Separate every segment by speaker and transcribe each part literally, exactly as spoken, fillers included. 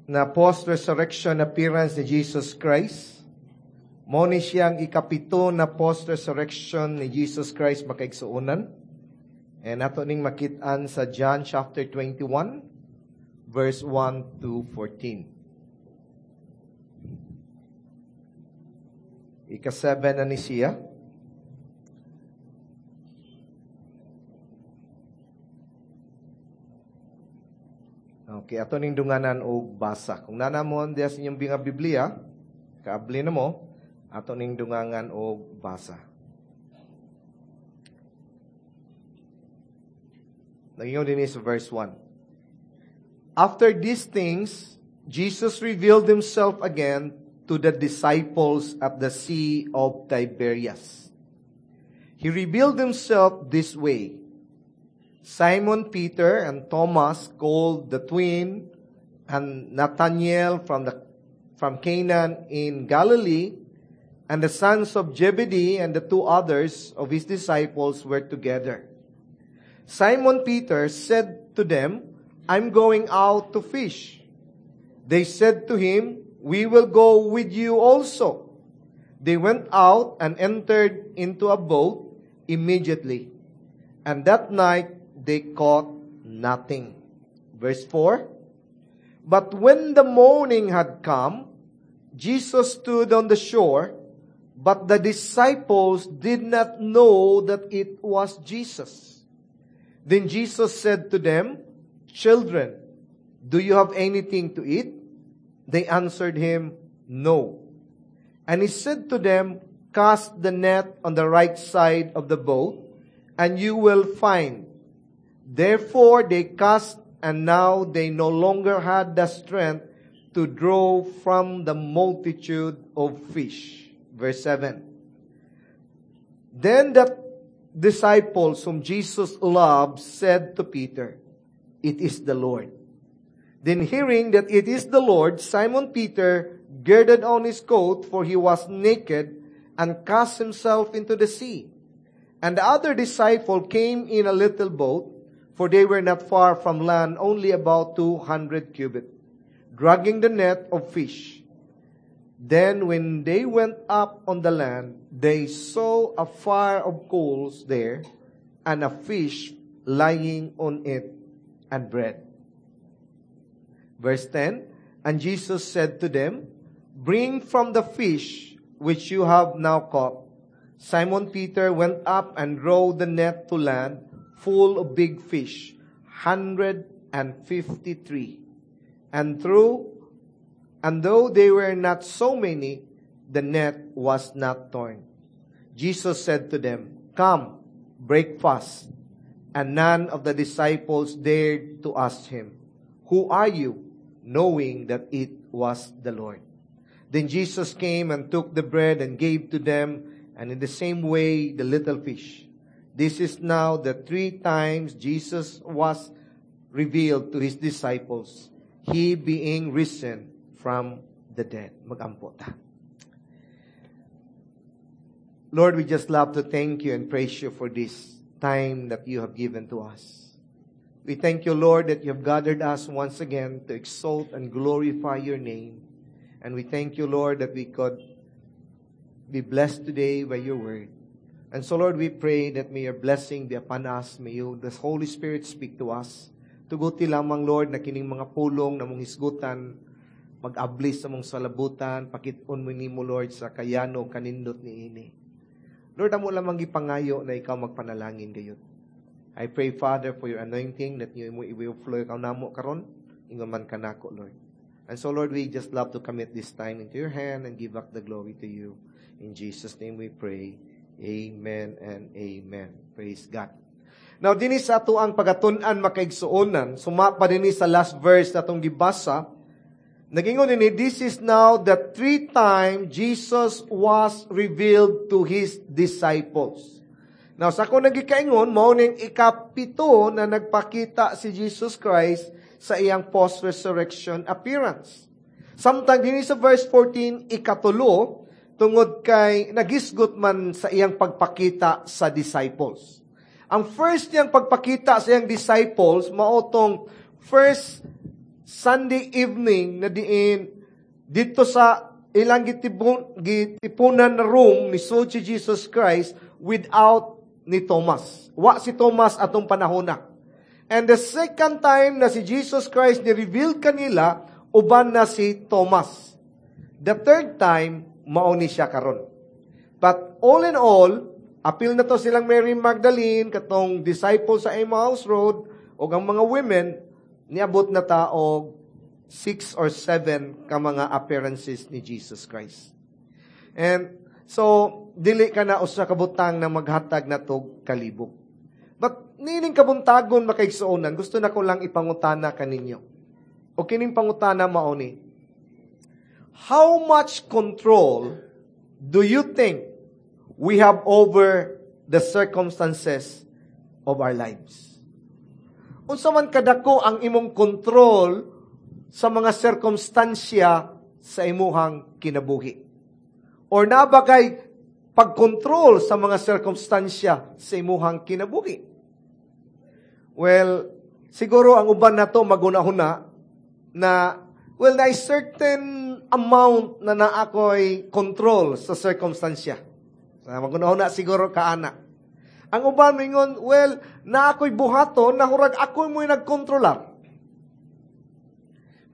Speaker 1: na post-resurrection appearance ni Jesus Christ. Mao ni siyang ikapito na post-resurrection ni Jesus Christ makaigsuonan. And ato ning makit-an sa John chapter twenty-one, verse one to fourteen. Ika-seven na ni siya. Okay, ato ning dunganan og basa. Kung nanamon diya sa inyong mga Biblia, kaabli na mo, ato ning dungangan og basa. Nangingon din sa verse one. After these things, Jesus revealed himself again to the disciples at the Sea of Tiberias. He revealed himself this way. Simon Peter and Thomas, called the twin, and Nathanael from the, from Canaan in Galilee, and the sons of Zebedee and the two others of his disciples were together. Simon Peter said to them, "I'm going out to fish." They said to him, "We will go with you also." They went out and entered into a boat immediately. And that night they caught nothing. Verse four. But when the morning had come, Jesus stood on the shore, but the disciples did not know that it was Jesus. Then Jesus said to them, "Children, do you have anything to eat?" They answered him, "No." And he said to them, "Cast the net on the right side of the boat, and you will find." Therefore they cast, and now they no longer had the strength to draw from the multitude of fish. Verse seven. Then the disciples whom Jesus loved said to Peter, "It is the Lord." Then hearing that it is the Lord, Simon Peter girded on his coat, for he was naked, and cast himself into the sea. And the other disciple came in a little boat, for they were not far from land, only about two hundred cubits, dragging the net of fish. Then when they went up on the land, they saw a fire of coals there, and a fish lying on it, and bread. Verse ten, And Jesus said to them, "Bring from the fish which you have now caught." Simon Peter went up and rowed the net to land, full of big fish, hundred and fifty-three. And through, and though they were not so many, the net was not torn. Jesus said to them, "Come, break fast." And none of the disciples dared to ask him, "Who are you?" knowing that it was the Lord. Then Jesus came and took the bread and gave to them, and in the same way the little fish. This is now the three times Jesus was revealed to his disciples, he being risen from the dead. Magampo ta. Lord, we just love to thank you and praise you for this time that you have given to us. We thank you, Lord, that you have gathered us once again to exalt and glorify your name. And we thank you, Lord, that we could be blessed today by your word. And so, Lord, we pray that may your blessing be upon us. May you, the Holy Spirit, speak to us. Tuguti lamang, Lord, na kining mga pulong na mong hisgutan, mag-ablis sa mong salabutan, pakit-on mo nimo, Lord, sa kayano kanindot ni ini. Lord, amo lamang gipangayo na ikaw magpanalangin gayud. I pray, Father, for your anointing that you mo i-flow ikaw namo karon, ingon man kanako, Lord. And so, Lord, we just love to commit this time into your hand and give back the glory to you. In Jesus' name we pray. Amen and amen. Praise God. Now, dinhi sa ato ang pagatun-an makaigsuonan, suma pa dinhi sa last verse na atong gibasa, nagingon dinhi, this is now the three time Jesus was revealed to his disciples. Now, sa akong nagikaingon, mao ning ikapito na nagpakita si Jesus Christ sa iyang post-resurrection appearance. Samtang dinhi sa verse fourteen, ikatulo, tungod kay nagisgot man sa iyang pagpakita sa disciples. Ang first niyang pagpakita sa iyang disciples, mao tong first Sunday evening na diin didto sa ilang gitibon, gitipunan na room ni si Jesus Christ without ni Thomas. Wa si Thomas atong panahona. And the second time na si Jesus Christ ni-reveal kanila, uban na si Thomas. The third time, mao ni siya karon. But all in all, apil na to silang Mary Magdalene, katong disciple sa Emmaus Road, o ang mga women, niabot na ta og six or seven ka mga appearances ni Jesus Christ. And so, dili ka na usa ka butang na maghatag na tog kalibog. But nining kabuntagon makaigsuonan, gusto na ko lang ipangutana kaninyo. O kining pangutana mao ni, how much control do you think we have over the circumstances of our lives? Unsa man kadako ang imong control sa mga sirkumstansya sa imuhang kinabuhi? Or naa ba kay pagkontrol sa mga sirkumstansya sa imuhang kinabuhi? Well, siguro ang uban nato magunahuna na well, na certain amount na naa ko'y control sa sirkumstansya. Magunahuna siguro kaana. Ang uban mingon, well, naa ko'y buhaton na hurag ako mo'y nagkontrolar.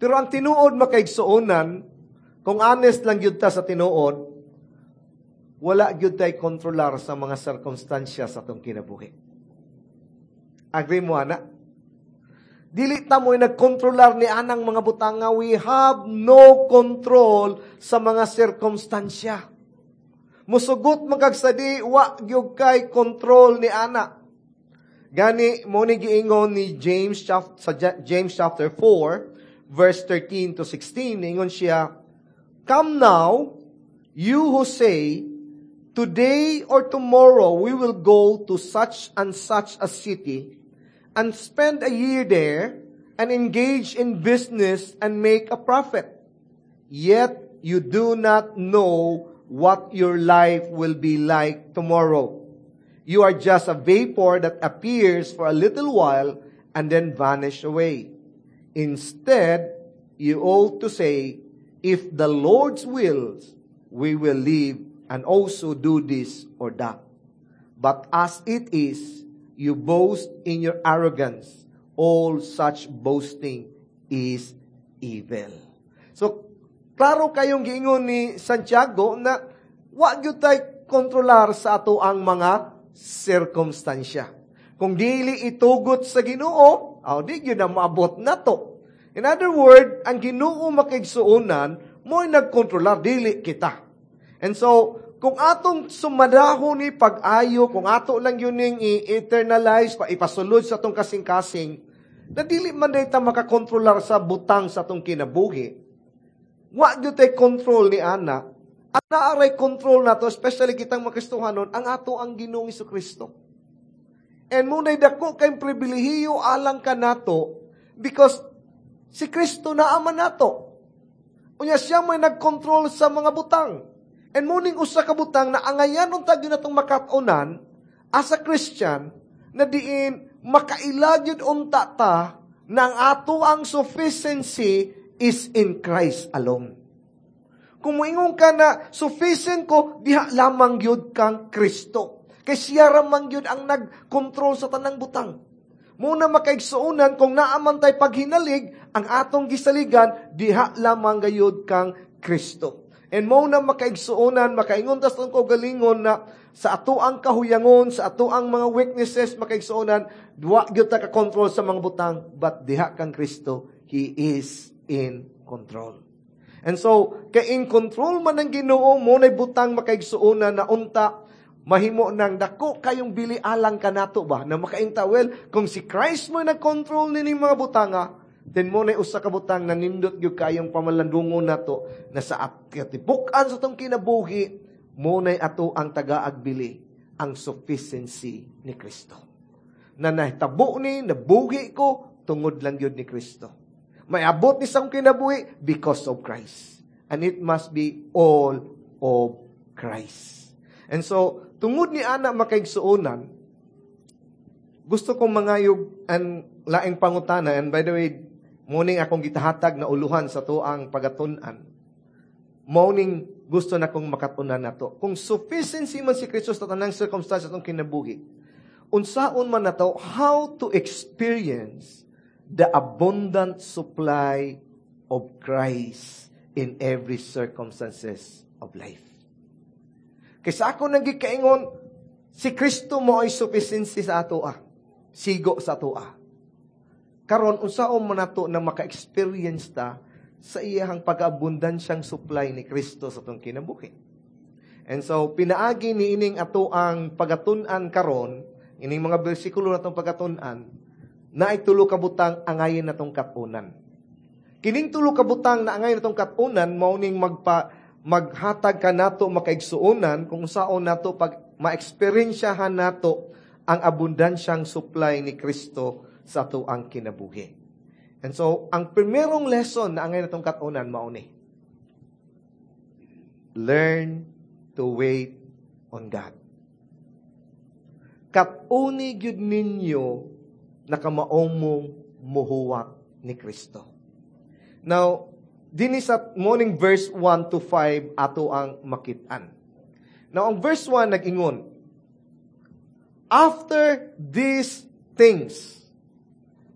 Speaker 1: Pero ang tinuod makaigsuonan, kung honest lang gyud ta sa tinuod, wala gyud tay kontrolar sa mga sirkumstansya sa atong kinabuhi. Agree mo, ana? Dili ta mo'y nagkontrolar ni anang mga butanga. We have no control sa mga sirkumstansya. Musugot man kag sadi, wa gyud kay control ni ana. Gani mo ni giingon ni James sa James chapter four verse thirteen to sixteen, ingon siya, "Come now, you who say, today or tomorrow we will go to such and such a city and spend a year there and engage in business and make a profit. Yet you do not know what your life will be like tomorrow. You are just a vapor that appears for a little while and then vanish away. Instead, you ought to say, if the Lord's wills, we will live and also do this or that. But as it is, you boast in your arrogance. All such boasting is evil." So, klaro kayong giingon ni Santiago na wa gyud tay kontrolar sa ato ang mga sirkumstansya. Kung dili itugot sa Ginoo, aw di gyud na maabot nato. In other word, ang Ginoo makaigsuonan, mo'y nagkontrolar, dili kita. And so, kung atong sumadahon ni pag-ayo, kung ato lang yun ning i-eternalize, pa ipasulod sa atong kasing-kasing, na dili man day ta makakontrolar sa butang sa atong kinabuhi, wa gyud tay control ni ana. At naaray control nato, especially kitang makristohanon, ang ato ang Ginoong Jesucristo. And muna'y dako kay pribilehiyo alang kanato because si Kristo naaman nato. Unya siya may nagkontrol sa mga butang. And muning usa ka butang na angayan unta gyud natong makat-onan as a Christian na diin makaila gyud unta ta na ang ato ang sufficiency is in Christ alone. Kung moingon ka na sufficient ko, diha lamang gyud kang Kristo. Kay siya ra man gyud ang nagkontrol sa tanang butang. Muna makaigsuonan kung naaman tay paghinalig ang atong gisaligan, diha lamang gayud kang Kristo. And mo na makaigsuonan, makaingon tas tong kaugalingon na sa ato ang kahuyangon, sa ato ang mga weaknesses, makaigsuonan, wa gyud ta ka-control sa mga butang, but diha kang Kristo, He is in control. And so, kay in control man ang Ginoo, mo na'y butang makaigsuonan na unta, mahimo nang dako kayong bili alang kanato ba, na makainta, well, kung si Christ mo nag-control nining mga butanga, then mo na'y usa ka butang na nindot gyud kayong pamalandungon nato na sa katibukan sa atong kinabuhi, mo na'y ato ang tagaagbili, ang sufficiency ni Kristo. Na nahitabo ni, nabuhi ko, tungod lang gyud ni Kristo. May abot ni sa akong kinabuhi because of Christ. And it must be all of Christ. And so, tungod ni ana makaigsuonan, gusto kong mangayog ang laing pangutana. And by the way, Mao ning akong gitahatag na uluhan sa atoang pagatun-an. Mao ning gusto na kong makatunan nato. Kung sufficiency man si Kristo sa tanang circumstances atong kinabuhi, unsaon man nato how to experience the abundant supply of Christ in every circumstances of life. Kaysa ako nang gikaingon, si Kristo mao'y sufficiency sa ato ah. Sigo sa ato ah. Karon unsaon man nato na maka-experience ta sa iyahang pag-abundansyang supply ni Kristo sa atong kinabuhi. And so, pinaagi ni ining ato ang pagatun-an karon, ining mga bersikulo natong pagatun-an, naay tulo ka butang angayin natong katunan. Kining tulo ka butang na angayin natong katunan, mao ning magpa maghatag ka nato makaigsuonan kung saon nato pag ma-eksperyensyahan nato ang abundansyang supply ni Kristo sa ato ang kinabuhi. And so, ang primerong lesson na angay natong katunan mao ni learn to wait on God. Katuni gyud ninyo nakamao mong muhuwat ni Kristo. Now, dinhi sa morning verse one to five ato ang makitaan. Now, ang verse one nag-ingon, after these things.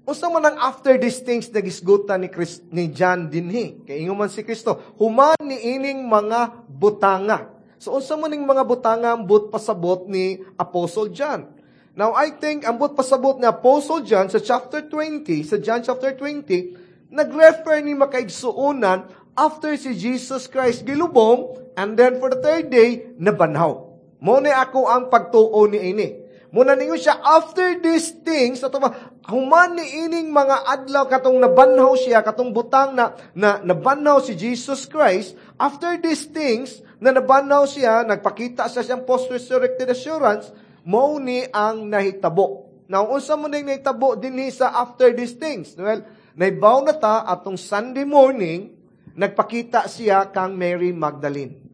Speaker 1: Unsa man ang after these things nagisgutan ni Christ, ni John dinhi? Kay ingon man si Kristo, human ni ining mga butanga. So unsa man ning mga butanga ang but pasabot ni Apostle John? Now I think ang but pasabot ni Apostle John sa chapter twenty, sa John chapter twenty, nag-refer ni makaigsuonan after si Jesus Christ gilubong and then for the third day nabanhaw. Mao ni ako ang pagtuo ni ini. Muna ningon siya, after these things, ato ba, human ni ining mga adlaw katong nabanhaw siya, katong butang na, na nabanhaw si Jesus Christ, after these things, na nabanhaw siya, nagpakita siya siyang post-resurrected assurance, mao ni ang nahitabo. Now, unsa mo ning nahitabo dinhi sa after these things? Well, naibaw na ta atong Sunday morning, nagpakita siya kang Mary Magdalene.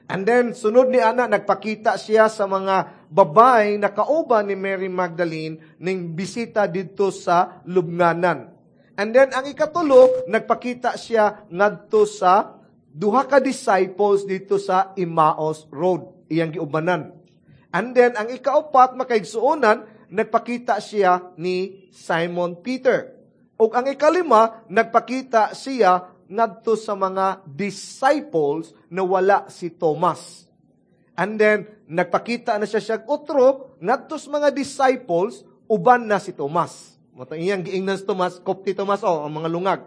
Speaker 1: And then, sunod ni ana, nagpakita siya sa mga babay na kauban ni Mary Magdalene ning bisita didto sa lubnganan. And then, ang ikatulo, nagpakita siya ngadto sa duha ka disciples dito sa Emmaus Road, iyang giubanan. And then, ang ikaupat, makaigsuonan, nagpakita siya ni Simon Peter. Ug ang ikalima, nagpakita siya ngadto sa mga disciples na wala si Thomas. And then, nagpakita na siya siyang otro, ngadto sa mga disciples, uban na si Thomas. Mao iyang giingnan si Thomas, kopti Thomas, oh, ang mga lungag.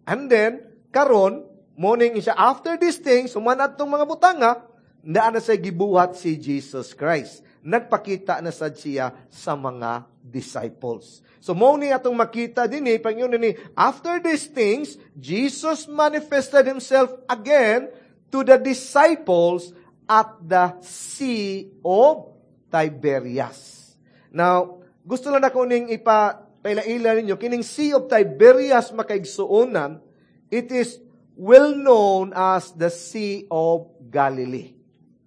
Speaker 1: And then, karon, morning siya, after these things, human atong mga butanga, naa na siya gibuhat si Jesus Christ. Nagpakita na sad siya sa mga disciples. So, mao ni atong makita din eh, pag-ingon ni, after these things, Jesus manifested himself again to the disciples at the Sea of Tiberias. Now, gusto lang ako ning ipapaila-ila ninyo, kining Sea of Tiberias makaigsuonan, it is well known as the Sea of Galilee.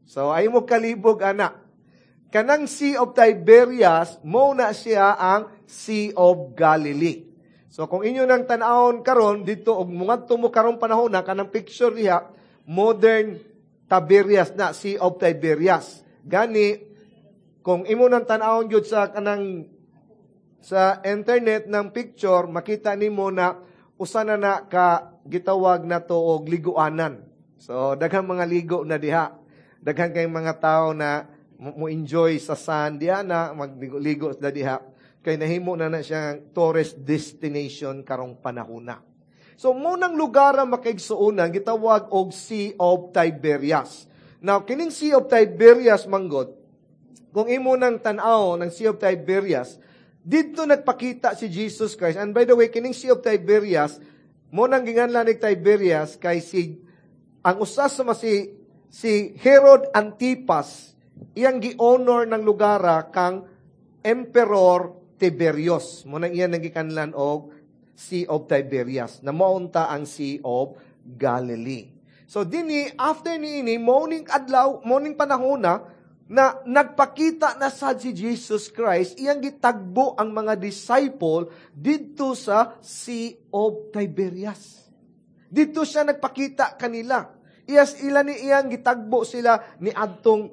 Speaker 1: So, ay mo kalibog, ana. Kanang Sea of Tiberias, mao na siya ang Sea of Galilee. So, kung inyo nang tan-awon karon dito, og mungadto mo karong panahon na, kanang picture diha, modern Tiberias na, Sea of Tiberias. Gani, kung imo nang tan-awon gyud sa kanang sa internet ng picture, makita nimo na usa na na ka gitawag na to og liguanan. So, daghang mga ligo na diha. Daghan kay mga tao na mo enjoy sa sun diha na magligo-ligo sa diha. Kay nahimo na na siyang tourist destination karong panahona. So, munang lugar ang makaigsuonan, gitawag og Sea of Tiberias. Now, kining Sea of Tiberias, manggod, kung imo nang tan-aw ng Sea of Tiberias, didto nagpakita si Jesus Christ. And by the way, kining Sea of Tiberias, mo nang ginganlan ni Tiberias kay si ang usa sa si si Herod Antipas, iyang gi-honor ng lugara kang Emperor Tiberius. Mo nang iyan nagikanlan og Sea of Tiberias, na maunta ang Sea of Galilee. So dinhi after niini morning adlaw, morning panahon na na nagpakita na sad si Jesus Christ, iyang gitagbo ang mga disciple didto sa Sea of Tiberias. Didto siya nagpakita kanila. Iyas ila ni iyang gitagbo sila ni adtong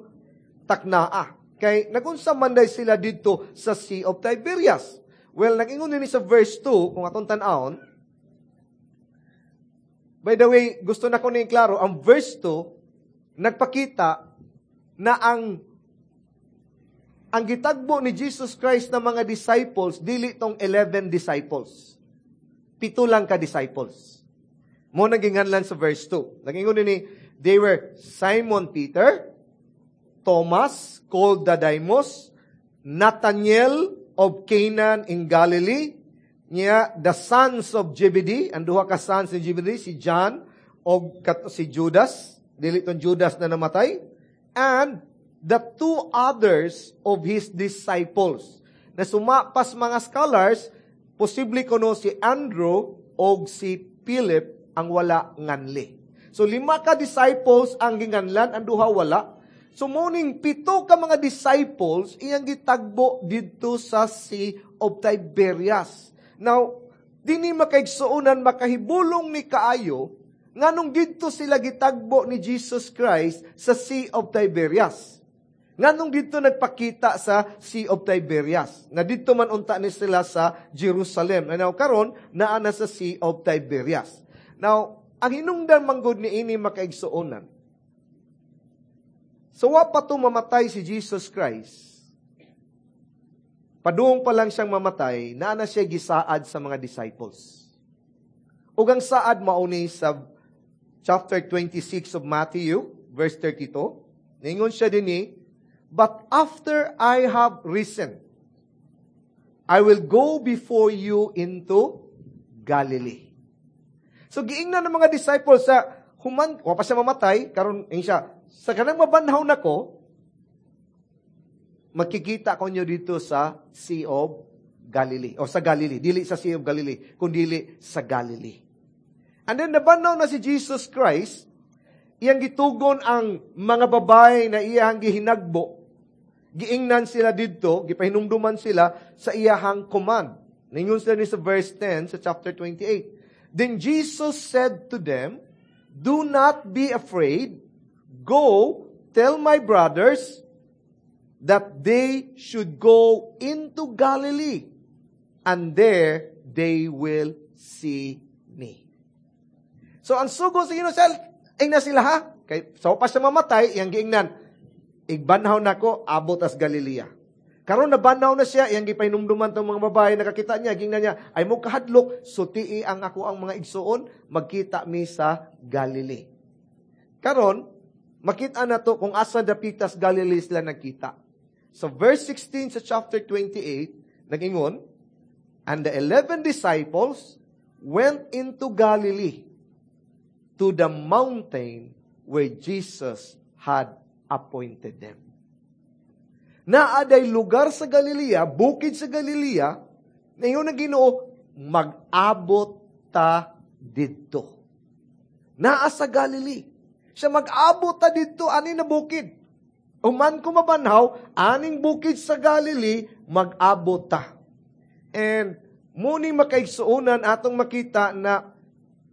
Speaker 1: taknaa. Kay nagunsa man day sila didto sa Sea of Tiberias. Well, nag-ingon ni sa verse two, kung atong tan-awon. By the way, gusto na ko ni klaro, ang verse two, nagpakita na ang ang gitagbo ni Jesus Christ na mga disciples, dili tong eleven disciples. Pito lang ka disciples. Mo naginganlan sa verse two. Nagingon ni, they were Simon Peter, Thomas, called Didymus, Nathaniel of Canaan in Galilee, niya the sons of Zebedee, ang duha ka sons ni Zebedee, si John og si Judas, dili tong Judas na namatay, and the two others of his disciples. Na sumapas mga scholars, posible kuno si Andrew og si Philip ang wala nganli. So lima ka disciples ang ginganlan, ang duha wala. So morning pito ka mga disciples iyang gitagbo didto sa Sea of Tiberias. Now, dinhi makaigsuonan makahibulong ni kaayo nganong didto sila gitagbo ni Jesus Christ sa Sea of Tiberias. Nganong didto nagpakita sa Sea of Tiberias. Na didto man unta ni sila sa Jerusalem. Now karon naa na sa Sea of Tiberias. Now, ang hinungdan manggod ni ini makaigsuonan. So wa pa to mamatay si Jesus Christ. Padung pa lang siyang mamatay, naa na siya gisaad sa mga disciples. Ug ang saad mauni sa chapter twenty-six of Matthew, verse thirty-two. Ningon siya dinhi, "But after I have risen, I will go before you into Galilee." So giingnan ng mga disciples sa human, wa pa siya mamatay, karon ing siya, sa kanang mabanhaw nako, makikita ko nyo dito sa Sea of Galilee. O sa Galilee. Dili sa Sea of Galilee, kundili sa Galilee. And then nabanhaw na si Jesus Christ, iyang gitugon ang mga babae na iyang gihinagbo. Giingnan sila didto, gipahinumduman sila sa iyahang command. Ningon sila ni sa verse ten sa chapter twenty-eight. Then Jesus said to them, "Do not be afraid. Go, tell my brothers that they should go into Galilee, and there they will see me." So, ang sugo sa Ginoo, ingna sila ha? Kay, so pa siya mamatay, iyang giingnan, igbanhaw nako, abot as Galilea. Karon nabanhaw na siya, iyang gipahinumduman tong mga babae, nakakita niya, giingnan niya, ay mo kahadlok, sutii ang ako ang mga igsuon, magkita mi sa Galilee. Karon, makita na to kung asa dapitas Galilee sila nagkita. Sa verse sixteen sa chapter twenty-eight, nag-ingon, "And the eleven disciples went into Galilee to the mountain where Jesus had appointed them." Naaday lugar sa Galilea, bukid sa Galilea, na ingon ang Ginoo, mag-abot ta didto. Naa sa Galilee. Siya mag-abot ta didto, ani na bukid. Uman ko mabanhaw, aning bukid sa Galilee, mag-abot ta. And muni makaigsuonan atong makita na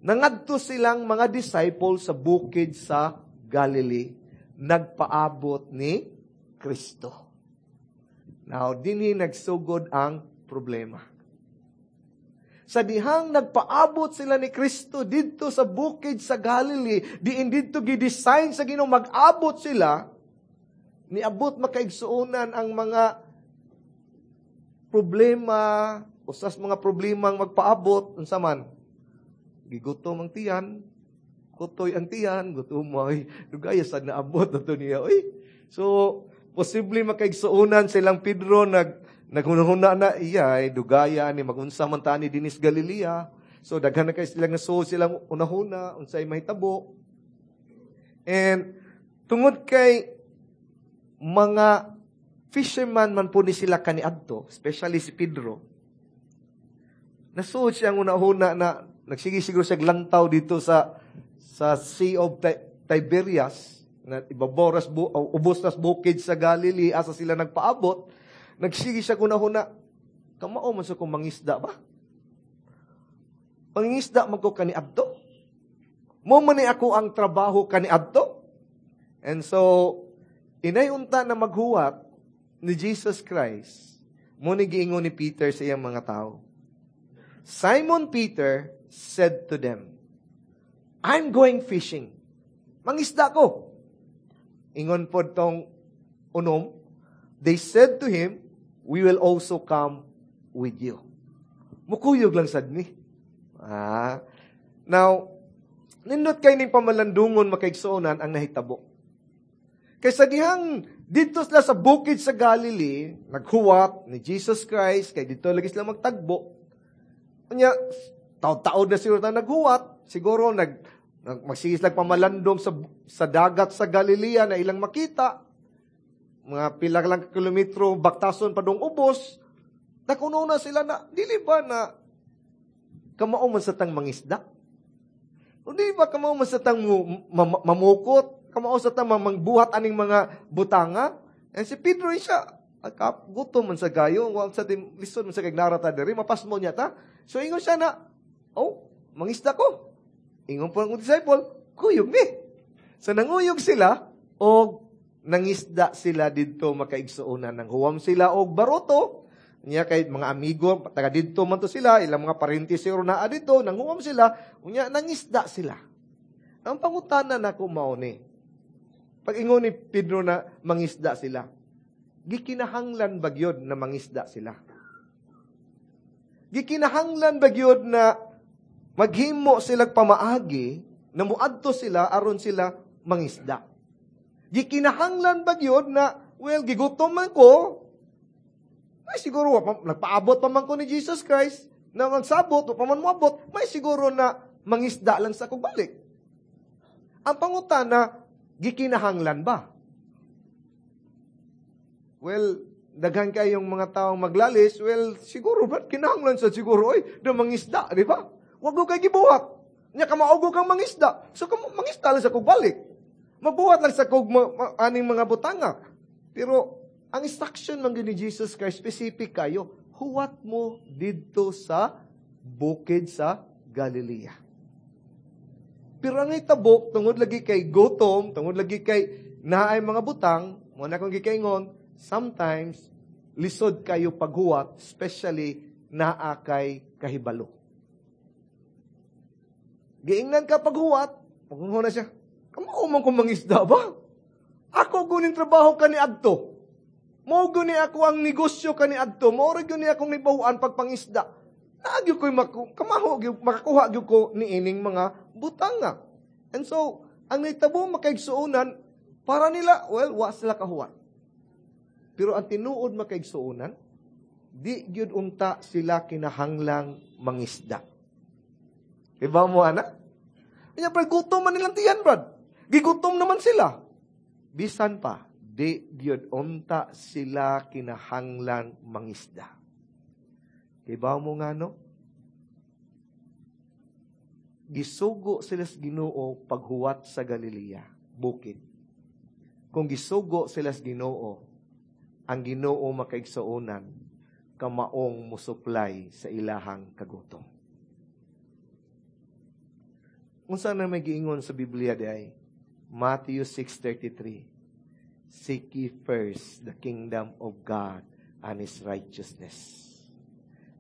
Speaker 1: nangadto silang mga disciples sa bukid sa Galilee, nagpaabot ni Kristo. Now, dinhi nagsugod ang problema. Sa dihang nagpaabot sila ni Kristo didto sa bukid sa Galilee, diin didto gidesign sa Ginoo mag-abot sila, niabot makaigsuonan ang mga problema, usas mga problemang magpaabot, unsa man, gigutom ang tiyan, kutoy ang tiyan, gutom mo, ay, dugaya sad naabot na to niya, oy. So, posible makaigsuonan silang Pedro, nag, naghunahuna na, iya, ay, dugaya ni, magunsa man ta ni dinis Galilea. So, daghan na kay silang nasuod silang unahuna, unsay mahitabo. And, tungod kay mga fisherman man po ni sila kaniadto, especially si Pedro, nasuod siyang unahuna na nagsige siguro siya lantaw dito sa, sa Sea of Tiberias, Na ibabaw ras bu, ubos nas bukid sa Galilee, asa sila nagpaabot, nagsige siya kunahuna, kamao man sa kong mangisda ba? Mangisda man ko kaniadto. Mao man ni ako ang trabaho kaniadto. And so, inay unta na maghuwat ni Jesus Christ, mao ni giingon ni Peter sa iyang mga tao. Simon Peter said to them, I'm going fishing. Mangisda ko. Ingon po tong unom, they said to him, we will also come with you. Mukuyog lang sad ni. Ah. Now, nindot kay ning pamalandungon makaigsuonan ang nahitabo. Kaysa dihang didto sila sa bukid sa Galilee, naghuwat ni Jesus Christ, kay didto lagi sila magtagbo. Unya, taod-taod na siguro ta naghuwat, siguro nag, nag magsige sila pamalandong sa, sa dagat sa Galilea na ilang makita. Mga pila lang kilometro, baktason pa dong ubos. Nakuno na sila na, dili ba na kamao man sa tang mangisda? O di ba kamao man sa tang mamukot? Kamao sa tang mangbuhat aning mga butanga? And si Pedro siya, kap, gutom man sa gayo, wa sa tim lisod man sa kay narata diri, mapasmo niya ta. So ingon siya na, oh, mangisda ko. Ingon po ang disciple, kuyog ni. So nanguyog sila, og nangisda sila didto makaigsuonan. Nanghuwam sila og baroto, niya kay mga amigo, taga didto man to sila, ilang mga parente siguro naa didto, nanghuwam sila, unya nangisda sila. Ang pangutana nako mao ni, pag ingon ni Pedro na mangisda sila, gikinahanglan ba gyud na mangisda sila? Gikinahanglan ba gyud na maghimo sila pamaagi na muadto sila aron sila mangisda? Gikinahanglan ba gyud na well gigutom man ko, ay siguro nagpaabot pa man ko ni Jesus Christ na magsabot o pa man moabot, may siguro na mangisda lang sa kog balik. Ang pangutana, gikinahanglan ba? Well, daghan kayong mga taong maglalis, well, siguro ba, kinahanglan sa siguro, oy, na mangisda, di ba? Wag ko kay gibuhat. Nya kamaugo kang mangisda. So, kam mangisda lang sa kog balik. Magbuhat lang sa kog ma- ma- aning mga butanga. Pero, ang instruction man ni Jesus Christ, specific kayo, huwat mo didto sa bukid sa Galilea. Pero ang hitabo, tungod lagi kay gutom, tungod lagi kay naay mga butang, mao na akong gikaingon, sometimes, lisod kayo paghuwat, especially naa kay kahibalo. Giingnan ka paghuwat, paghuwat na siya, kamao man kong mangisda ba? Ako guning trabaho kaniadto. Mao guni ako ang negosyo kaniadto. Mao ra gyud ni akong nibahuan pagpangisda. Naagyo ko'y maku-, kamaho gyud, makakuha gyud ko niining mga butanga. And so, ang nahitabo makaigsuonan, para nila, well, wa sila kahuwat. Pero ang tinuod makaigsuonan, di gyud unta sila kinahanglang mangisda. Iba mo, ana? Kanya, pero gutom man nilang tiyan, brad. Gigutom naman sila. Bisan pa, di gyud unta sila kinahanglan mangisda. Iba mo nga, no? Gisugo sila sa Ginoo paghuwat sa Galilea, bukid. Kung gisugo sila sa Ginoo, ang Ginoo makaigsuonan, kamaong musuplay sa ilahang kagutom. Unsa na may giingon sa Biblia di ay? Matthew six thirty-three. Seek ye first the kingdom of God and His righteousness,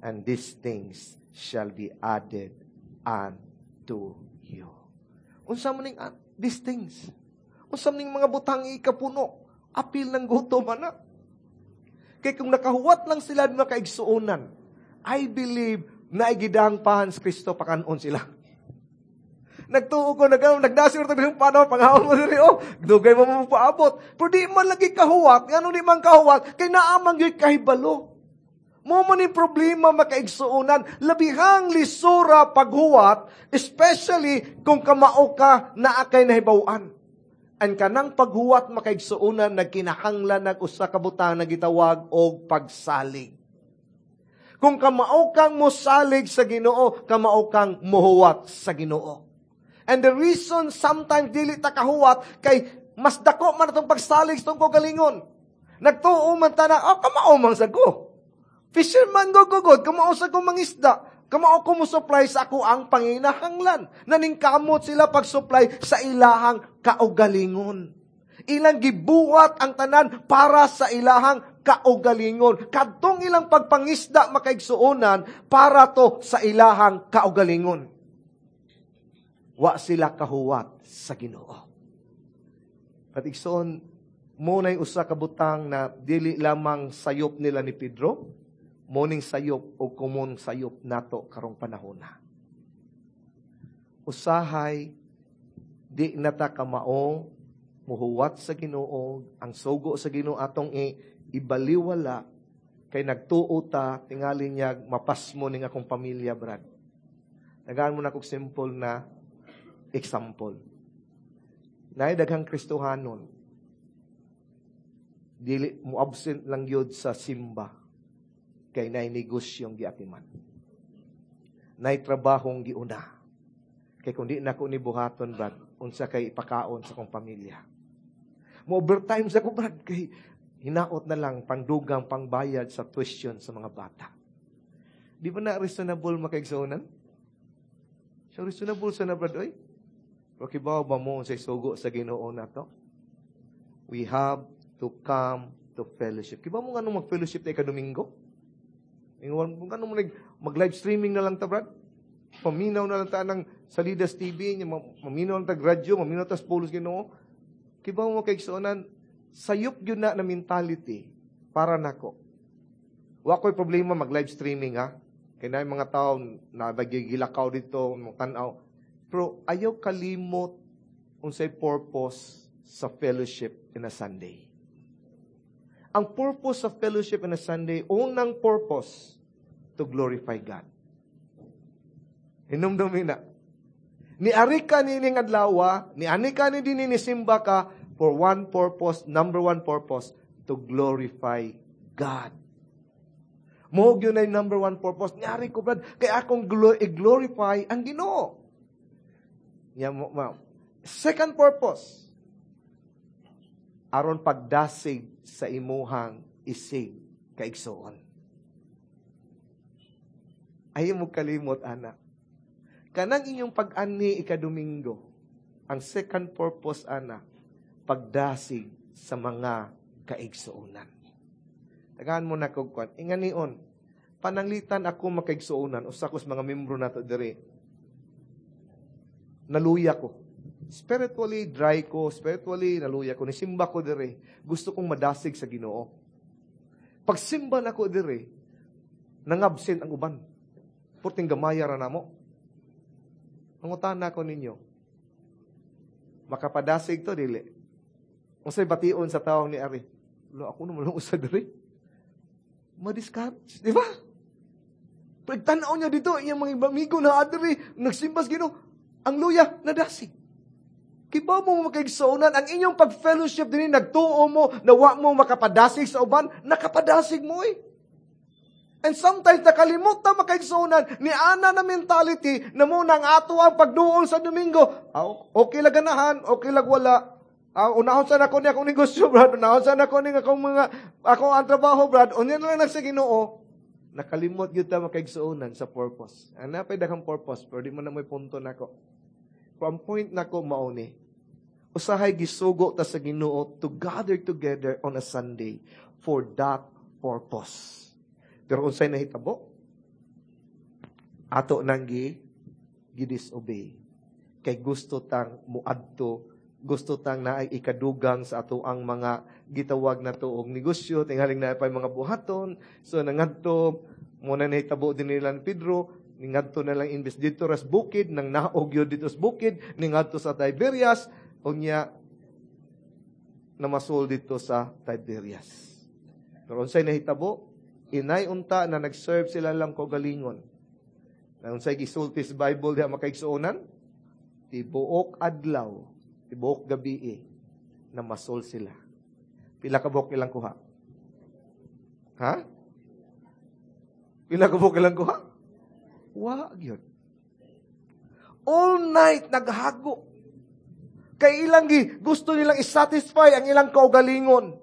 Speaker 1: and these things shall be added unto you. Unsa man ning, ah, these things? Unsa man ning mga butang ikapuno? Apil ng gutom ana. Kay kung nakahuwat lang sila makaigsuonan, I believe na igidang pahan sa Kristo pakanon sila. Nagtuo ko, nag, nagdasir ito yung panahon, panghawon mo diri, oh, dugay mo mo paabot. Pero di man lagi kahuwat, ngano di man kahuwat, kay naamang gyud kahibalo. Mo man yung problema makaigsuonan, labihang lisura paghuwat, especially kung kamao ka naa kay nahibaw-an. Ang kanang paghuwat makaigsuonan, nagkinahanglan nag usa ka butang na gitawag og pagsalig. Kung kamao kang mosalig sa Ginoo, kamao kang mohuwat sa Ginoo. And the reason sometimes dili ta kahuwat, kay Mas dako man atong pagsalig sa atong kaugalingon. Nagtuo man ta na, oh, kamao man sa ko. Fisherman go go god, kamao sa ko mangisda. Kamao ko mo supply sa ako ang panginahanglan. Naningkamot sila pag-supply sa ilahang kaugalingon. Ilang gibuhat ang tanan para sa ilahang kaugalingon. Kadtong ilang pagpangisda makaigsuonan para to sa ilahang kaugalingon. Wa sila kahuwat sa Ginoo. At igsoon, mao na'y usa ka butang na dili lamang sayop nila ni Pedro, mao ning sayop o common sayop nato karong panahon na. Usahay, di nata kamao muhuwat sa Ginoo, ang sugo sa Ginoo atong i, ibaliwala kay nagtuo ta tingali niya mapasmo ning akong pamilya Brad. Tagaan mo na kog simple na example. Naay daghang Kristohanon. Dili mo absent lang gyud sa simba kay naay negosyong giatiman. Naay trabahong giuna. Kay kung di nako ni buhaton Brad, unsa kay ipakaon sa akong pamilya. Mo overtime sa ko Brad kay hinaot na lang pangdugang pangbayad sa tuition sa mga bata. Di ba na reasonable makaigsuonan? So reasonable sa na Brad oy. Pero kibaw ba mo sa sugo sa Ginoo nato? We have to come to fellowship. Kibaw mo nganong mag-fellowship tayo ka-Domingo? Ingon mo nganong mag, mag-live streaming na lang ta Brad? Paminaw na lang ta ng sa Leaders T V, maminaw lang ta radyo, maminaw ta sa pulos Ginoo. Kibaw mo kay igsuonan, sayop gyud na na mentality para nako. Wa ko'y problema mag-live streaming ha. Kay naay mga tao na nagigilakaw dito, mga tan-aw. Pero ayaw kalimot unsay purpose sa fellowship in a Sunday. Ang purpose sa fellowship in a Sunday, unang purpose, to glorify God. Hinumdumi na. Niari ka nining adlaw, niani ka ni dinhi nisimba ka for one purpose, number one purpose, to glorify God. Mao gyud na number one purpose. Niari ko, Brad, kay akong i-glorify ang Ginoo. Ya, mo, ma. Second purpose, aron pagdasig sa imuhang isig kaigsuon. Ayaw mo kalimot, anak. Kanang inyong pag-ani ikadomingo, ang second purpose, ana, pagdasig sa mga kaigsuonan. Tagaan mo na kog kwan. Inganion, pananglitan ako makaigsuonan, usa ko sa mga membro nato diri. Naluya ko. Spiritually dry ko, spiritually naluya ko. Nisimba ko diri. Gusto kong madasig sa Ginoo. Pagsimba nako diri, nangabsent ang uban. Purting gamaya ra namo. Mangutana ko ninyo. Makapadasig to dili. Unsay bation sa tawong ni ari? Lo ako naman lang usa diri. Ma-discourage, di ba? Pagtanaw niya dito, iyang mga amigo na adiri, nagsimba sa Ginoo, ang luya nadasig. Kibaw mo makaigsuonan, ang inyong pag-fellowship din, nagtuo mo, na wa mo makapadasig sa uban, nakapadasig mo eh. And sometimes, nakalimot na makaigsuonan, ni ana na mentality, na mao nang ato ang pagduol sa Domingo. Ah, okay lang ganahan, okay lang wala. Ah, unahon sa nako ni akong negosyo, Brad. Unahon sa nako ni akong mga, akong ang trabaho, Brad. Unya na lang sa Ginoo. Nakalimot gyud ta makaigsuonan sa purpose. Ang napay daghang purpose, pero di man na mo'y punto nako. Pero ang point nako mao ni, usahay gisugo ta sa Ginoo to gather together on a Sunday for that purpose. Pero unsay nahitabo? Ato nang gi gi-disobey. Kay gusto tang muadto, gusto tang naay ikadugang sa ato ang mga gitawag na to og negosyo, tingaling na pa mga buhaton. So nangadto mao na nahitabo din nila ni Pedro, ningadto na lang imbes dito ras bukid, nang naog yun dito sa bukid, ningadto sa Tiberias, unya namasol dito sa Tiberias. Pero unsay nahitabo? Inay unta na nag-serve sila lang kaugalingon. Na unsay gisulti sa Bible diha makaigsuonan? Tibuok adlaw, tibuok gabi na masol sila. Pila ka buok ilang kuha? Ha? Pila ka buok ilang kuha? Wa gyud. All night naghago. Kay ilang gi, gusto nilang isatisfy ang ilang kaugalingon.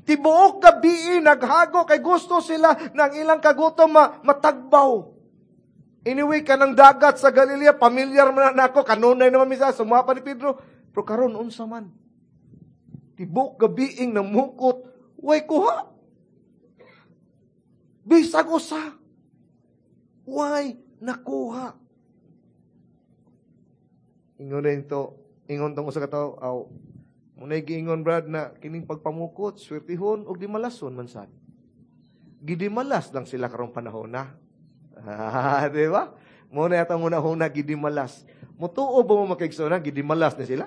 Speaker 1: Tibuok gabi naghago kay gusto sila ng ilang kagutom ma, matagbaw. Anyway, kanang dagat sa Galilea, pamilyar man na ako, kanunay naman misa, sumuha pa ni Pedro. Pero karon unsa man? Tibuok gabiing namukot, way kuha. Bisag usa. Way nakuha. Ingon na ito, ingon tong usa ka tawo, aw, munay giingon Brad na kining pagpamukot, swertihon og di malason man sad. Gidimalas lang sila karong panahon na. Ah, di ba? Muna yata muna huna gidimalas. Mutuo ba mo makaigsoon gidimalas na sila?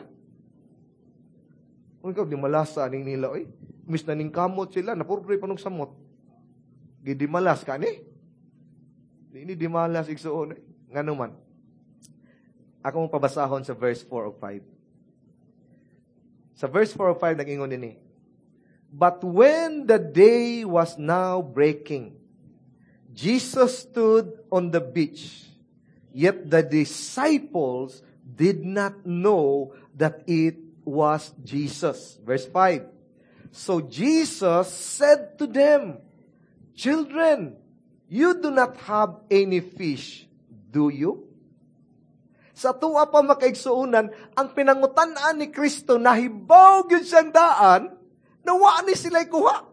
Speaker 1: Kung ikaw dimalas sa aning nila, oy. Mis na ning kamot sila, napurpre pa nung samot. Gidimalas ka ni? Di ni dimalas igsuon. Eh. Ngano man? Ako mong pabasahon sa verse four o five. Sa verse four o five, nag-ingon din eh. But when the day was now breaking, Jesus stood on the beach, yet the disciples did not know that it was Jesus. Verse five. So Jesus said to them, "Children, you do not have any fish, do you?" Sa tuwa pa makaigsuonan, ang pinangutan-an ni Kristo, nahibaw gyud siyang daan, nawa ni sila'y kuha.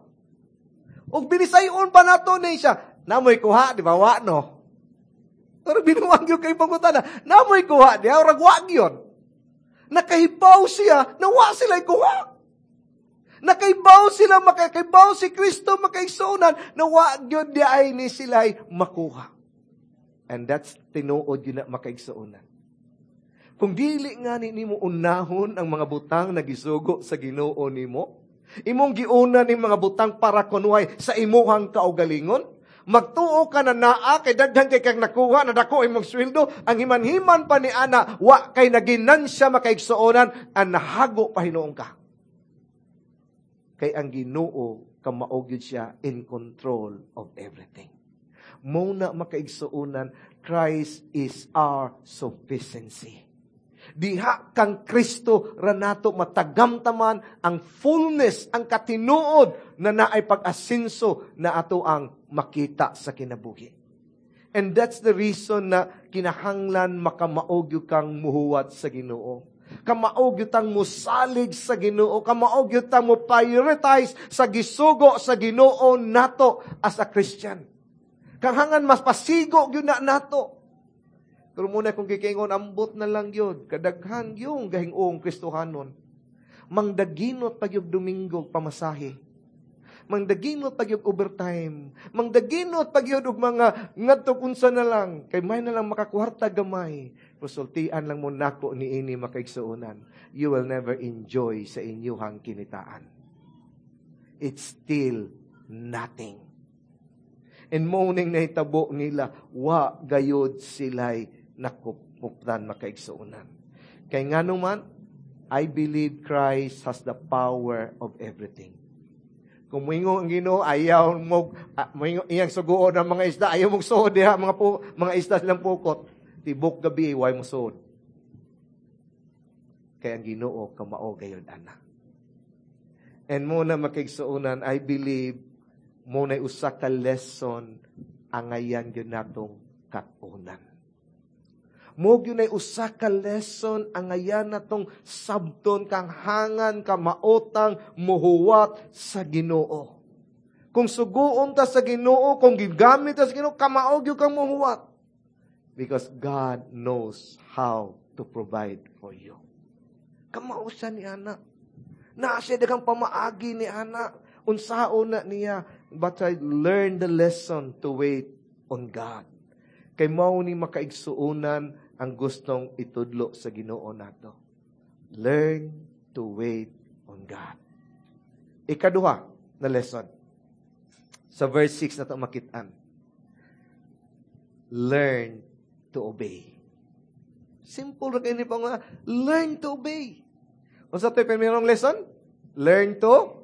Speaker 1: Og binisayon pa nato ni siya, namoy kuha, di ba? Wa, no? Pero binuwang gyud kay pangutana, namoy kuha, di ba? Rag wa gyud. Nakahibaw siya, nawa sila'y kuha. Nakahibaw sila, makakahibaw si Kristo, makaigsuonan, nawa gyud di ay ni sila'y makuha. And that's tinuod yun na makaigsuonan. Kung dili nga ni nimo unahon ang mga butang na gisugo sa Ginoo nimo, imong giuna ning mga butang para kunuhay sa imuhang kaugalingon, magtuo ka na naa kay daghan kay kang nakuha, na dako imong sweldo, ang himan-himan pa ni ana, wa kay naginansya makaigsuonan, ang nahago pa hinuon ka. Kay ang Ginoo kamao gyud siya in control of everything. Mao na makaigsuonan, Christ is our sufficiency. Diha kang Kristo ranato matagamtaman ang fullness, ang katinuod na naay pag-asinso na ato ang makita sa kinabuhi. And that's the reason na kinahanglan makamaog gyud kang muhuwat sa Ginoo. Kamaog gyud tang musalig sa Ginoo, kamaog gyud tang mo prioritize sa gisugo sa Ginoo nato as a Christian. Kanghangan mas pasigo gyud na nato. Pero muna kung kikingon, ambot na lang yun. Kadaghan yung gahingong Kristohanon. Mangdaginot pag yung Domingo pamasahe. Mangdaginot pag yung overtime. Mangdaginot pag yung mga ngadto unsa na lang. Kay may na lang makakuwarta gamay. Resultian lang mo nako ni ini makaigsuonan. You will never enjoy sa inyuhang kinitaan. It's still nothing. And morning na hitabo nila, wa gayod sila'y nakupuptan makaigsuonan. Kay nga naman, I believe Christ has the power of everything. Kung moingon ang Ginoo, ayaw mo, ah, moingon, iyang suguon ang mga isda, ayaw mong suod diha, mga, pu, mga isda silang pukot. Tibok gabi, way mo suod. Kaya ang Ginoo, kamao gayod ana. And muna makaigsuonan, I believe, muna usa ka lesson angayan gyud natong kat-unan. Mo gyud nay usa ka lesson angayan natong sabton kang hangan kamaotang muhuwat sa Ginoo. Kung suguon ta sa Ginoo, kung gigamit ta sa Ginoo, kamao gyud kang muhuwat. Because God knows how to provide for you. Kamao siya ni ana. Naa siya daghang pamaagi ni ana. Unsaon na niya, but I learned the lesson to wait on God. Kay mao ni makaigsuonan ang gustong itudlo sa Ginoo nato. Learn to wait on God. Ikaduha na lesson. Sa verse six na ito makitaan. Learn to obey. Simple ra kay ni pa nga, learn to obey. Unsa to'y primerong lesson? Learn to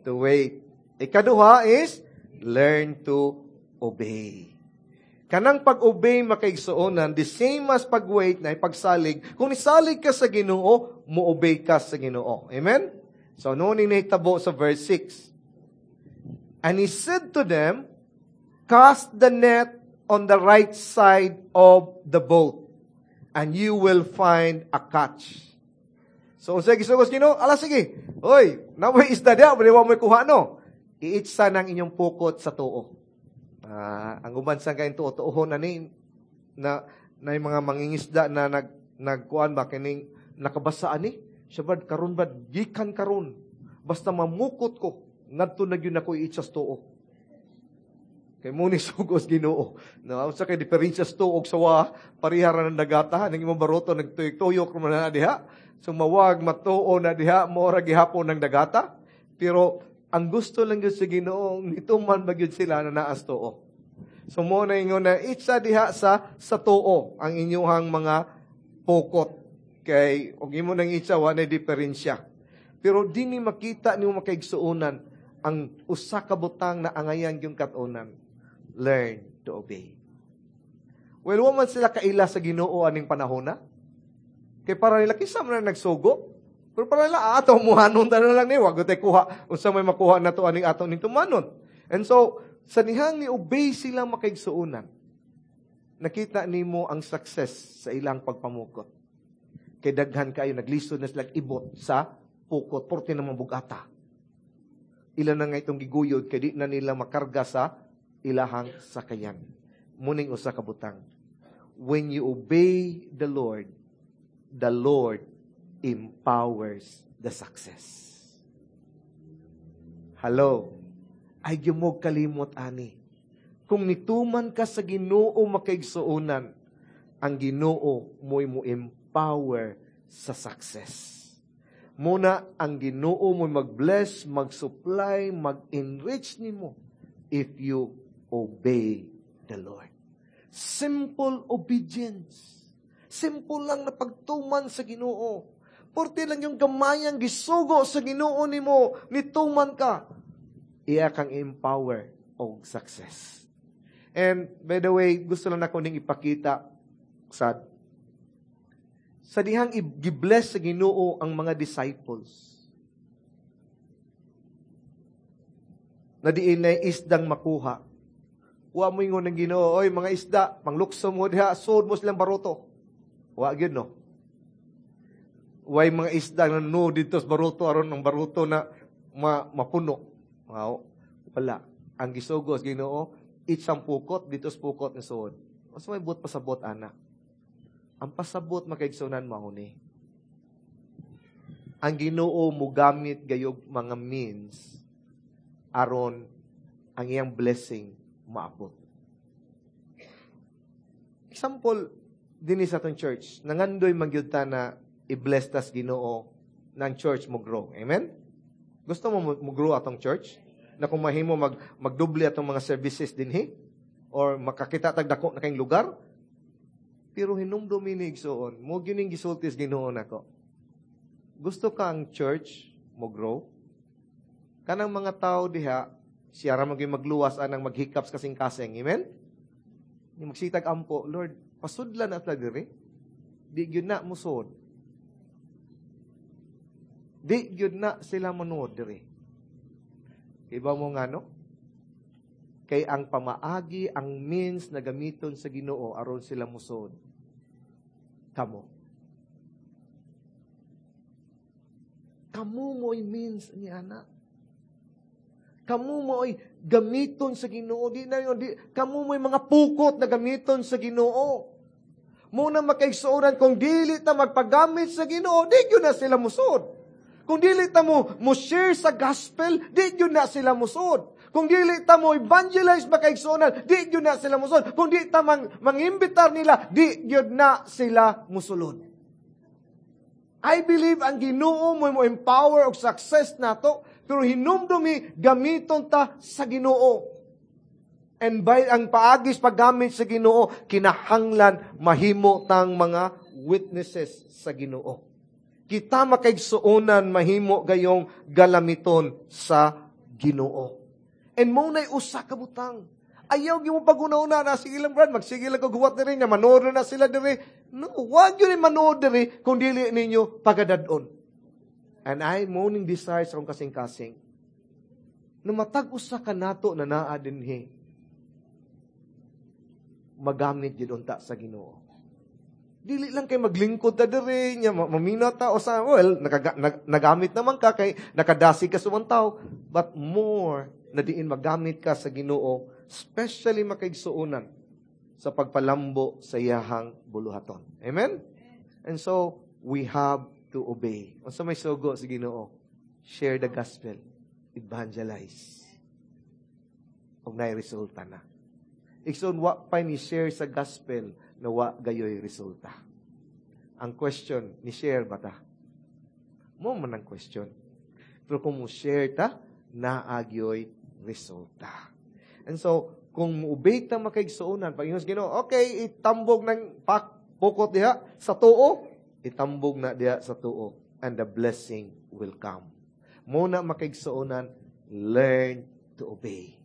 Speaker 1: to wait. Ikaduha is learn to obey. Kanang pag-obey makaigsuonan, the same as pag-wait na pagsalig. Kung nisalig ka sa Ginoo, mo-obey ka sa Ginoo. Amen? So, noon ni nahitabo sa verse six. And he said to them, "Cast the net on the right side of the boat, and you will find a catch." So, unsay gisugo sa Ginoo? Ala, sige. Oy, namoy isda diha, pero wa mo'y kuha, no? Iitsa ng inyong pukot sa tuo. Uh, ang uban sa kayong tuo-tuohon na ni, na, na yung mga mangingisda na nag, nagkuan ba, kining nakabasa ani? Siya ba, karon ba, gikan karon. Basta mamukot ko, ngadto na gyud ako iitsa sa tuo. Kay mo ni sugos Ginoo. No, unsa kay diferensya sa tuo og sawa, pareha ra ng dagata, nang imong baroto nagtuyok-tuyok man na diha. So mawag matuo na diha, mo ra gihapon ng dagata. Pero ang gusto lang gyud sa Ginoo, nituman ba gyud sila na naas tuo. So mo na ingon na itsa diha sa sa tuo ang inyuhang mga pukot. Kay og imo nang itsa, wa na diferensya. Pero dinhi makita nimo makaigsuonan ang usa ka butang na angayan gyud kat-unan. Learn to obey. Well, wa man sila kaila sa Ginoo aning panahon na. Kay para nila kinsa man na nagsugo. Pero para nila ato muhanon ta na lang ni, wa gyud kuha unsa may makuha nato aning ato ning tumanon. And so sa dihang ni obey sila makaigsuonan, nakita nimo ang success sa ilang pagpamukot. Kay daghan kayo naglisod na sila ibot sa pukot porte naman bugata. Ila na nga itong giguyod kay di na nila makarga sa ilahang sakayan. Muning usa ka butang. When you obey the Lord, the Lord empowers the success. Hello? Ay gyud kalimot ani. Kung nituman ka sa Ginoo makaigsuonan, ang Ginoo mo'y mo empower sa success. Muna ang Ginoo mo'y mag-bless, mag-supply, mag-enrich nimo if you obey the Lord. Simple obedience. Simple lang na pagtuman sa Ginoo. Porte lang yung gamayang gisugo sa Ginoo nimo, nituman ka, iya kang empower og success. And by the way, gusto lang nako ning ipakita sa sa dihang i-bless sa Ginoo ang mga disciples. Na diin na isdang makuha. Wa mo ingon ng Ginoo, oy mga isda, panglukso mo diha, sud mo silang baruto. Wa gyud, no. Way mga isda na no dito sa baruto aron ang baruto na ma, mapuno. Wow. Wala. Ang gisugo sa Ginoo, itsang pukot dito sa pukot ni suod. Mas may buot pasabot ana. Ang pasabot makaigsunan mao ni. Ang Ginoo mugamit gayog mga means aron ang iyang blessing maabot. Example, dinhi sa atong church, nangandoy man gyud ta na i-bless tas Ginoo ng church mo grow. Amen? Gusto mo mo grow atong church? Na kung mahimo mag, magdoble atong mga services dinhi? Or makakita tag dako na kayong lugar? Pero hinumdumi ni igsuon, mo gining gisultis Ginoo nako. Gusto ka ang church mo grow? Kanang mga tao diha, siya ra maging magluwas anang maghikaps kasing-kasing. Amen? Yung magsitag ampo, Lord, pasudlan at diri. Di gyud na musod. Di gyud na sila manuod diri. Iba mo nga, no? Kay ang pamaagi, ang means na gamiton sa Ginoo aron sila musod. Kamo. Kamo mo'y means ni ana. Kamo mo'y gamiton sa Ginoo. Di na yun, di, kamo mo'y mga pukot na gamiton sa Ginoo. Muna makaigsuonan, kung dili ta magpagamit sa Ginoo, di gyud na sila musod. Kung dili ta mo, mo share sa gospel, di gyud na sila musod. Kung dili ta mo evangelize makaigsuonan, di gyud na sila musod. Kung di ta mang, mangimbitar nila, di gyud na sila musulod. I believe ang Ginoo mo mo empower og success nato, pero hinumdumi gamiton ta sa Ginoo. And by ang paagis paggamit sa Ginoo, kinahanglan mahimo tang mga witnesses sa Ginoo. Kita makaigsuonan mahimo gayong galamiton sa Ginoo. And mo na'y usa ka butang. Ayaw gyud mo pag-una-una na sige lang brad, magsige lang kog huwat diri nya manood na sila diri. No, wag gyud ni manood diri kung dili ninyo pagadad-on. And I mao ning desire sa akong kasing-kasing. Na matag usa ka nato na naa dinhi magamit gyud unta sa Ginoo. Dili lang kay maglingkod ta diri nya mamina ta o sa well nakaga, nag, nagamit naman ka kay nakadasig ka sa tao but more na diin magamit ka sa Ginoo especially makaigsuonan sa pagpalambo sa iyahang buluhaton. Amen? And so we have to obey. Unsa may sugo sa Ginoo? Share the gospel. Evangelize. Ug naay resulta na. Igsoon wa pa ni share sa gospel na wa gayoy resulta. Ang question, ni share ba ta? Mao man ang question. Pero kung mo share ta, naa gyoy resulta. And so, kung mo-obey ta makaigsuonan, pag ingon sa Ginoo, okay, itambog ng pak, pukot diha sa tuo, itambog na diha sa tuo, and the blessing will come. Mao na makaigsuonan, learn to obey.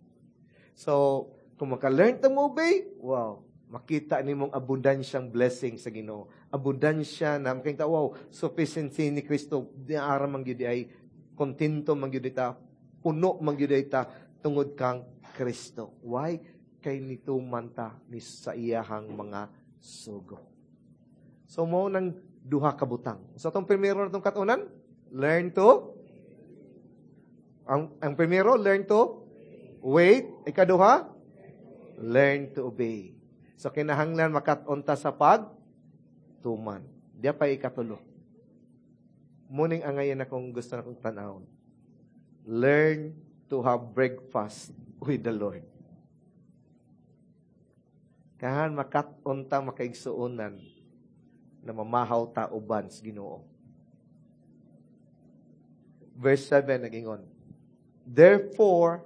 Speaker 1: So, kung maka-learn ta mo obey, wow, makita nimong abundansyang blessing sa Ginoo. Abundansya na makita, wow, sufficiency ni Kristo, di ara man gyud ay kontento man gyud ta, puno man gyud ta tungod kang Kristo. Why? Kay nituman ta ni sa iyahang mga sugo. So mao nang duha ka butang. So atong primero natong katunan, learn to ang ang primero, learn to wait. Ikaduha, learn to obey. So kinahanglan makat-on ta sa pag tuman. Diya pa ikatulo. Mao ning angayan akong gusto na kong tanawon. Learn to have breakfast with the Lord. Kahan makat-on ta makaigsuonan na mamahaw ta uban sa Ginoo. Verse seven nagingon. Therefore,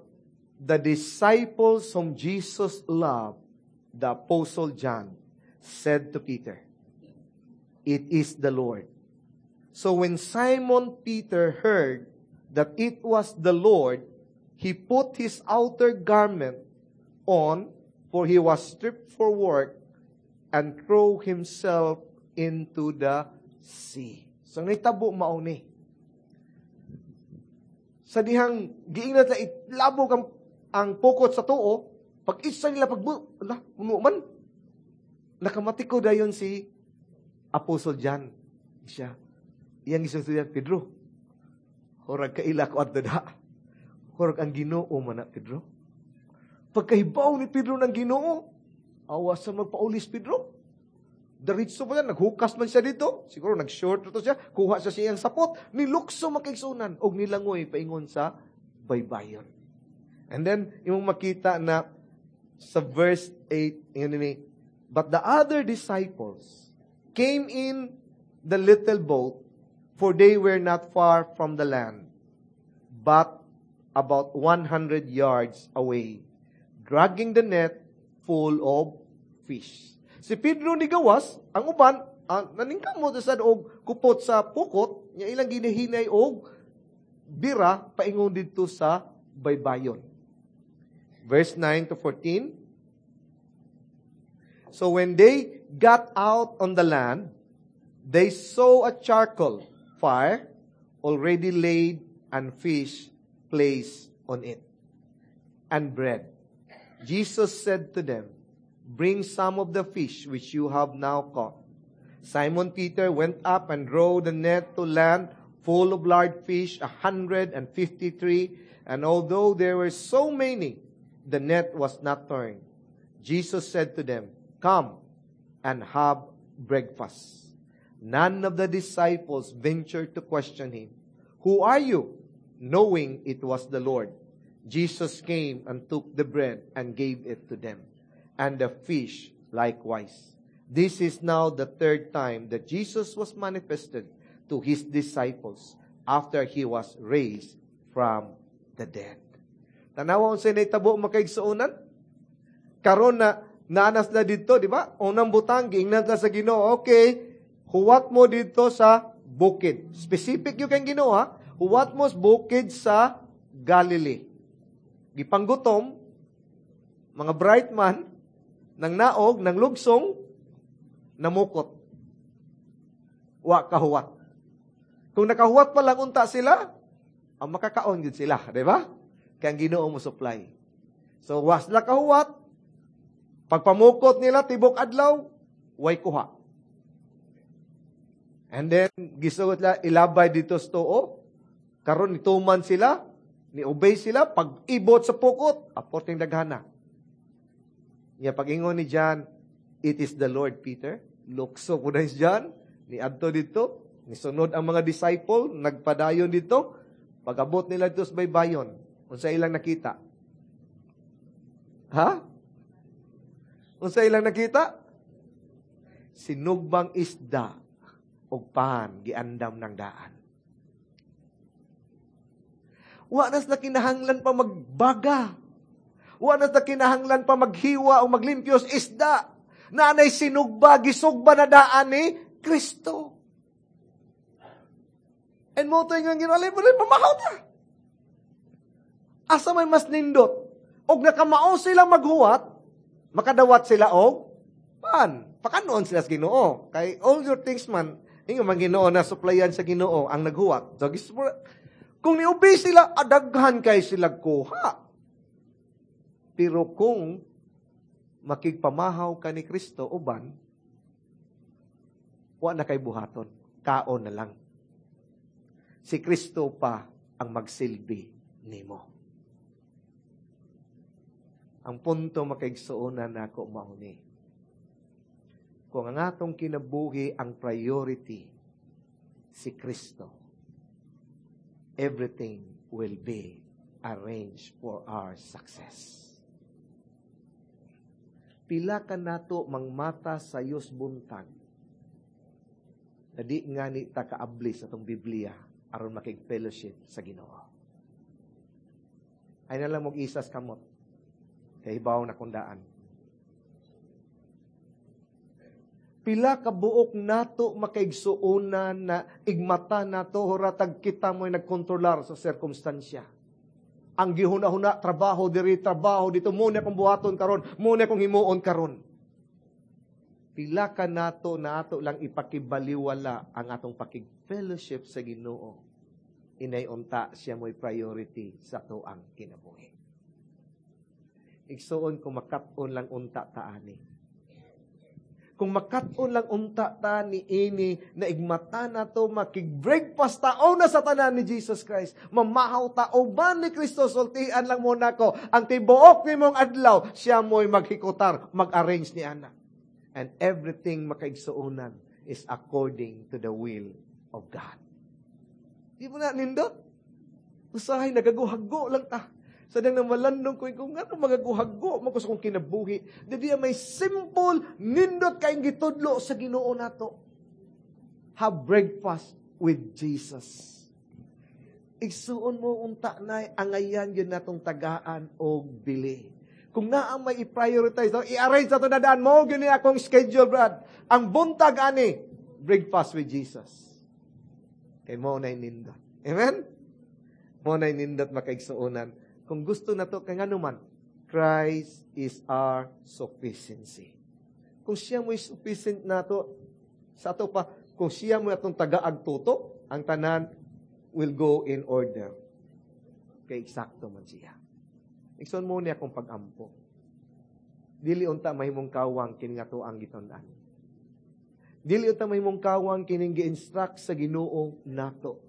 Speaker 1: the disciples whom Jesus loved, the apostle John, said to Peter, It is the Lord. So when Simon Peter heard that it was the Lord, he put his outer garment on, for he was stripped for work, and threw himself into the sea. So nitabo mao ni. Sa dihang giingnan na ilabog ang, ang pukot sa tuo, pag isa nila pag ala, puno man. Nakamati ko dayon si Apostle John. Siya. Iyang gisugdan Pedro. Murag kaila ko adto da. Murag ang Ginoo man na Pedro. Pagkahibaw ni Pedro ng Ginoo, awas sa magpaulis Pedro. Diretso pa yan, naghukas man siya dito. Siguro nag-short to siya, kuha siya siyang sapot, nilukso makaigsunan, og nilangoy paingon sa baybayon. And then, imong makita na sa verse eight, yun ni, But the other disciples came in the little boat, for they were not far from the land, but about one hundred yards away, dragging the net full of fish. Si Pedro ni gawas, ang uban, uh, naningkamot sa og kupot sa pukot, nya ilang ginahinay og bira paingon didto sa baybayon. Verse nine to fourteen. So when they got out on the land, they saw a charcoal fire already laid and fish placed on it, and bread. Jesus said to them, Bring some of the fish which you have now caught. Simon Peter went up and drew the net to land full of large fish, a hundred and fifty-three. And although there were so many, the net was not torn. Jesus said to them, Come and have breakfast. None of the disciples ventured to question him, Who are you? Knowing it was the Lord. Jesus came and took the bread and gave it to them, and the fish likewise. This is now the third time that Jesus was manifested to his disciples after he was raised from the dead. Tanawa unsay nahitabo makaigsuonan? Karon na naanas na dito, di ba? Unang butang, giingnan ta sa Ginoo, okay, huwat mo dito sa bukid. Specific yung kang Ginoo, ha? Huwat mo sa bukid sa Galilee. Gipanggutom, Mga bright man, nang naog, nang lugsong, namukot. Wa kahuwat. Kung nakahuwat pa lang unta sila, ang makakaon gyud sila, di ba? Kaya ang Ginoo mo supply. So, wa sila kahuwat, pagpamukot nila, tibok adlaw, way kuha. And then, gisugot nila, ilabay dito sa tuo. Karon nituman sila, ni-obey sila, pag ibot sa pukot, aporting daghana. Nya pag-ingon ni John, it is the Lord, Peter. Lukso po na si John, ni adto dito, nisunod ang mga disciple, nagpadayon dito, pag-abot nila dito sa baybayon, unsa ilang nakita? Ha? Unsa ilang nakita? Sinugbang isda og pan giandam ng daan. Wa na sila kinahanglan pa magbaga. Wa na sila kinahanglan pa maghiwa o maglimpyos isda. Naanay sinugba, gisugba na daan ni Kristo. And mo to yung Ginoo, pamahaw na. Asa may mas nindot? Og nakamao silang maghuwat, makadawat sila og pan. Pakanoon sila sa Ginoo. Kay all your things man, ingon man Ginoo na supplyan sa Ginoo ang naghuwat. So, kung ni-obey sila, adaghan kay sila kuha. Pero kung makigpamahaw ka ni Kristo uban, wa na kay buhaton. Kaon na lang. Si Kristo pa ang magsilbi nimo. Ang punto makaigsuonan nako mao ni. Kung ang atong kinabuhi ang priority si Kristo, everything will be arranged for our success. Pila ka nato mangmata sa Diyos buntag na di nga ni ta kaabli sa atong Biblia aron makig-fellowship sa Ginoo. Ay na lang mong isas kamot. Kay hibaw na kundaan. Pila ka buok nato makaigsuonan na igmata nato huratag kita mo'y nagkontrolar sa sirkumstansya. Ang gihuna-huna, trabaho diri, trabaho dito, muna akong buhaton karon, muna akong himuon karon. Pila ka nato na ato lang ipakibaliwala ang atong pakig-fellowship sa Ginoo. Inay unta siya mo'y priority sa atoang kinabuhi. Igsuon kung makat-on lang unta taani. Kung makat-on lang unta ta ni ini na igmata na to, makig-breakfast ta, o na sa tanan ni Jesus Christ. Mamahaw ta, o ba ni Kristo, sultian lang muna ko, ang tibuok ni mong adlaw, siya mo'y maghikutar, mag-arrange ni ana. And everything makaigsuonan is according to the will of God. Di mo na nindot? Usahay, nagaguhago lang ta. Sa dang namalandong ko, kung ano magaguhago mo ko sa kong kinabuhi. Di may simple, nindot kayong gitudlo sa Ginoo nato. Have breakfast with Jesus. Igsuon mo unta na angayan yun natong tagaan og bili. Kung naa may i-prioritize, i-arrange na ito na daan mo, yun akong schedule, Brad. Ang buntag ani, breakfast with Jesus. Kay mo na nindot. Amen? Mo na nindot makaigsuonan. Kung gusto na to, kay ngano man, Christ is our sufficiency. Kung siya mo'y sufficient na to, sa ato pa, kung siya mo'y atong tagaag tutok, ang tanan will go in order. Kay eksakto man siya. Igsoon mo niya akong pag-ampo. Dili unta mahimong kawang kini nga to ang gitun-an. Dili unta mahimong kawang kining gi-instruct sa Ginoo nato.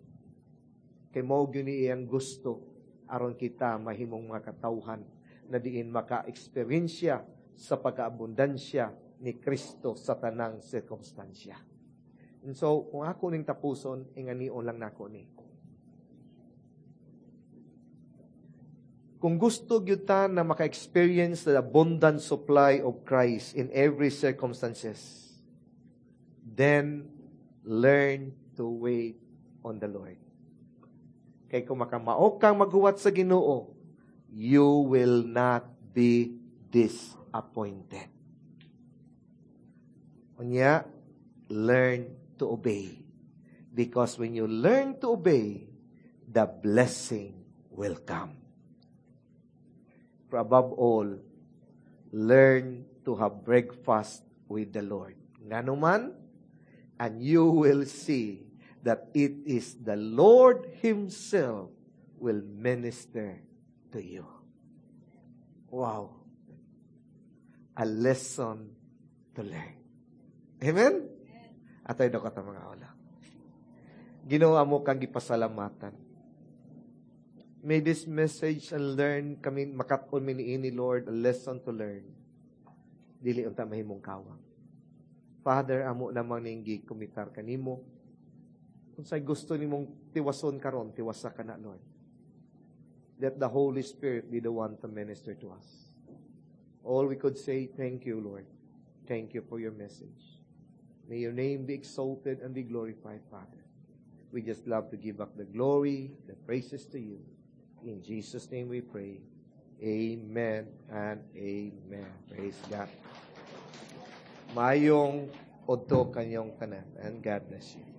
Speaker 1: Kay mao gyud ni iyang gusto aron kita mahimong mga katawhan na diin maka-eksperyensya sa pagkaabundansya ni Kristo sa tanang sirkumstansya. And so, kung ako ning tapuson, inganion lang nako ni. Kung gusto gyud ta na maka-experience the abundant supply of Christ in every circumstances, then learn to wait on the Lord. Kay kung makamao kang maghuwat sa Ginoo, you will not be disappointed. Unya, learn to obey. Because when you learn to obey, the blessing will come. But above all, Learn to have breakfast with the Lord. Nganuman, and you will see that it is the Lord Himself will minister to you. Wow. A lesson to learn. Amen? Atoy daw kata mga wala. Ginoo amo kang gipasalamatan. May this message and learn kami makat-on mi niini Lord a lesson to learn. Dili unta mahimong kawang. Father, amo namang ning gikomitar kanimo. Kung say gusto nimong tiwason karon, tiwasa ka na Lord. Let the Holy Spirit be the one to minister to us. All we could say, thank you, Lord. Thank you for your message. May your name be exalted and be glorified, Father. We just love to give back the glory, the praises to you. In Jesus' name we pray. Amen and amen. Praise God. Maayong udto kaninyong tanan and God bless you.